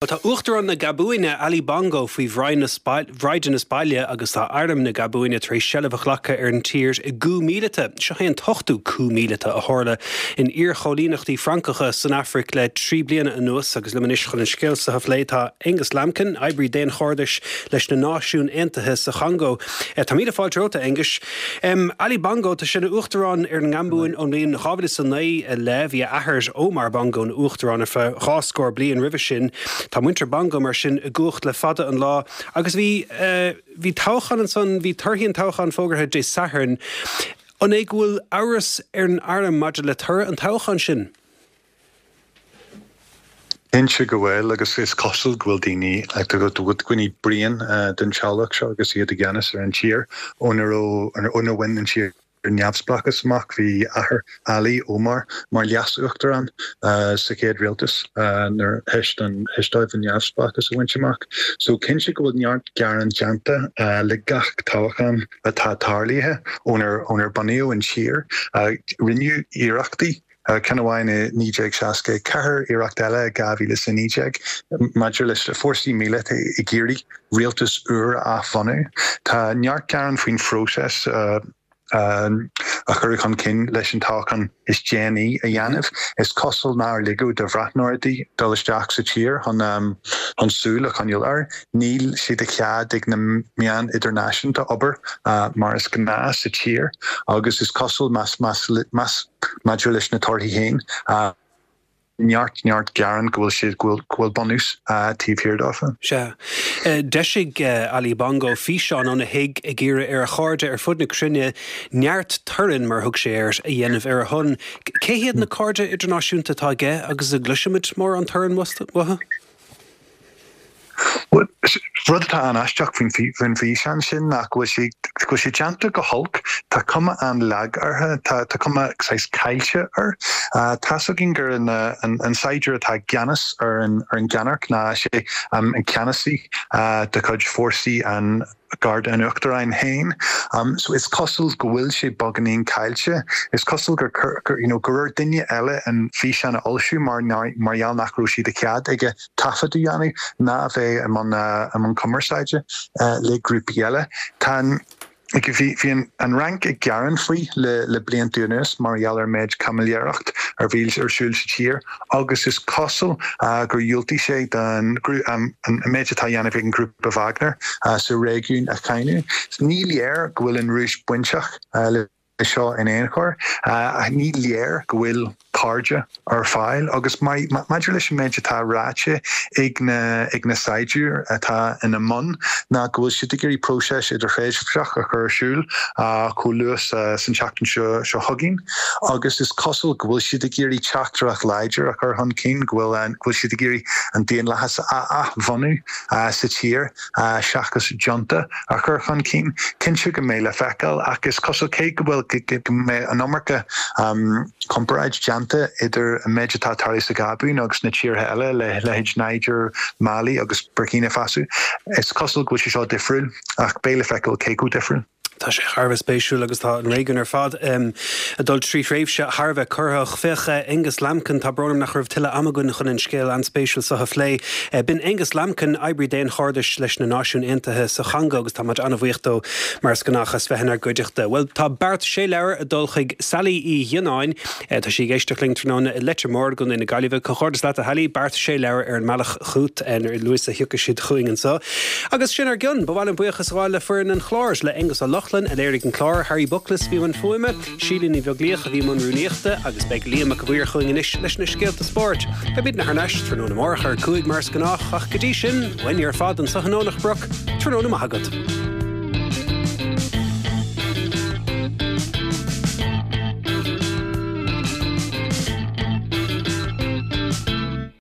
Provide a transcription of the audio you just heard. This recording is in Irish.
Tá Uachtarán na Gabúine, Ali Bongo, faoi bhraighdeanas baile agus tá Arm na Gabúine tar éis seilbh a ghlacadh ar an tír i gcoup míleata. Seo é an t-ochtú coup míleata a tharla in iarchoilíneachtaí Francacha san Afraic le 3 bliana anuas agus liom anois chun an scéal seo a phlé tá Aonghus Lambkin, oibrí daonchairdis leis na Náisiúin Aontaithe sa Chongó. Tá míle fáilte romhat, a Aonghuis. Ali Bongo, tá sé ina Uachtarán ar an nGabúin ón mbliain 2009 i leith. Bhí a athair, Omar Bongo, ina Uachtarán ar feadh 2 scór bliain roimhe sin. Tá muintir Bongo, mar sin, i gcumhacht le fada an lá. Agus bhí, bhí toghchán ansan, bhí torthaí an toghcháin fógartha Dé Sathairn. An é go bhfuil amhras ar an arm maidir le toradh an toghcháin sin? Cinnte go bhfuil, agus is cosúil go bhfuil daoine, go bhfuil daoine bréan den teaghlach seo agus iad i gceannas ar an tír óna raibh, ónar bhain an tír neamhspleáchas amach. Bhí athair Ali, Omar, mar leas-uachtarán sa chéad rialtas nuair théis don, théis dóibh an neamhspleáchas a bhaint amach. So cinnte go bhfuil neart gearán déanta le gach toghchán atá tarlaithe ónar, ónar bunaíodh an tír. Rinneadh iarrachtaí Ceann amháin i 1964, iarracht eile i 2019 maidir leis na fórsaí míleata ag iarraidh rialtas úr a athbhunú. Tá neart gearán faoin phróiseas a cuireadh chun cinn leis an toghchán is déanaí a dhéanamh. Is cosúil nár ligeadh do bhreathnóirí dul isteach sa tír chun súil a choinneáil air. Níl sé de chead ag na meáin idirnáisiúnta obair mar is gnáth sa tír agus is cosúil más más Maidir leis na torthaí féin, neart, neart gearán go bhfuil siad, go bhfuil, go bhfuil bunús taobh thiar dófa. Sea. D'eisigh Ali Bongo físeán óna thigh ag iarraidh ar a chairde ar fud na cruinne neart torainn, mar a thug sé air, a dhéanamh ar a shon. Cé hiad na cairde idirnáisiúnta atá aige agus an gcloisfimid mórán torainn uathu? Rud atá an-aisteach faoin bhfíseán sin ná go bhfuil sé, go bhfuil sé déanta go holc. Tá cuma an-lag air, tá cuma saghas caillte air. Tá's againn gur an saighdiúir atá i gceannas ar an gceannairc ná sé an ceannasaí de chuid fórsaí an Garda an Uachtaráin féin. So is cosúil go bhfuil sé beagáinín caillte. Is cosúil gur gur you know gur ar duine eile an físeán a fhoilsiú mar mar gheall nach raibh sé de chead aige taifead a dhéanamh ná a bheith i mbun i mbun cumarsáide le grúpaí eile. Tá an Bhí bhí an an Fhrainc ag gearán faoi le le blianta anuas mar gheall ar an méid caimiléireacht a bhí ar siúl sa tír agus is cosúil gur dhiúltaigh sé don an méid atá á dhéanamh ag an ngrúpa Wagner sa réigiún a cháineadh. Ní léir go bhfuil an Rúis bainteach le seo in aon chor. Ní léir go bhfuil cairde ar fáil agus maidir leis an méid atá ráite ag na ag na saighdiúir atá ina mbun ná go bhfuil siad ag iarraidh próiseas idirthréimhseach a chur ar siúl chomh luath san tseachtain seo seo chugainn agus is cosúil go bhfuil siad ag iarraidh teachtaireacht láidir a chur chun cinn go bhfuil go bhfuil siad ag iarraidh an daonlathas a athbhunú sa tír seachas junta a chur chun cinn. Cinnte go mbeidh le feiceáil ach is cosúil cé go bhfuil go mbeidh an iomarca comparáid déanta idir an méid atá tarlaithe sa Ghabún agus na tíortha eile, leithéid Niger, Mali agus Burkina Faso, is cosúil go bhfuil sé seo difriúil ach beidh le feiceáil cé chomh difriúil. Tá sé thar a bheith spéisiúil agus tá an réigiún ar fad ag dul trí thréimhse thar a bheith corraitheach. Féach Aonghus Lambkin, tá brón orm nach raibh tuilleadh ama againn chun an scéal an-spéisiúil seo a phlé. B'in Aonghus Lambkin, oibrí daonchairdis leis na Náisiúin Aontaithe sa Chongó agus tá muid an-bhuíoch dó mar is gnách as bheith inár gcuideachta. Bhuel, tá beart sé leabhar ag dul chuig Sally Uí Ghionnáin. Tá sí ag éisteacht linn tráthnóna i Leitir Móir i gContae na Gaillimhe. Comhghairdeas leat a Shally, beart sé leabhar ar an mbealach chugat a luaithe is a thiocfaidh siad chugainn anseo. Agus sin ár gcionn. Ba mhaith liom buíochas a ghabháil le foireann an chláir, le Aonghus Ó Lochlainn a léirigh an clár, Harry Buckles a bhí i mbun fuaime, Síle Ní Bheaglaoich a bhí i mbun rúnaíochta agus beidh Liam Mac a' Mhaoir chugainn anois leis na scéalta spóirt. Beimidne thar n-ais tráthnóna amárach ar 5 mar is gnách ach go dtí sin, uainne ar fad anseo in Domhnach Broc, tráthnóna maith agat.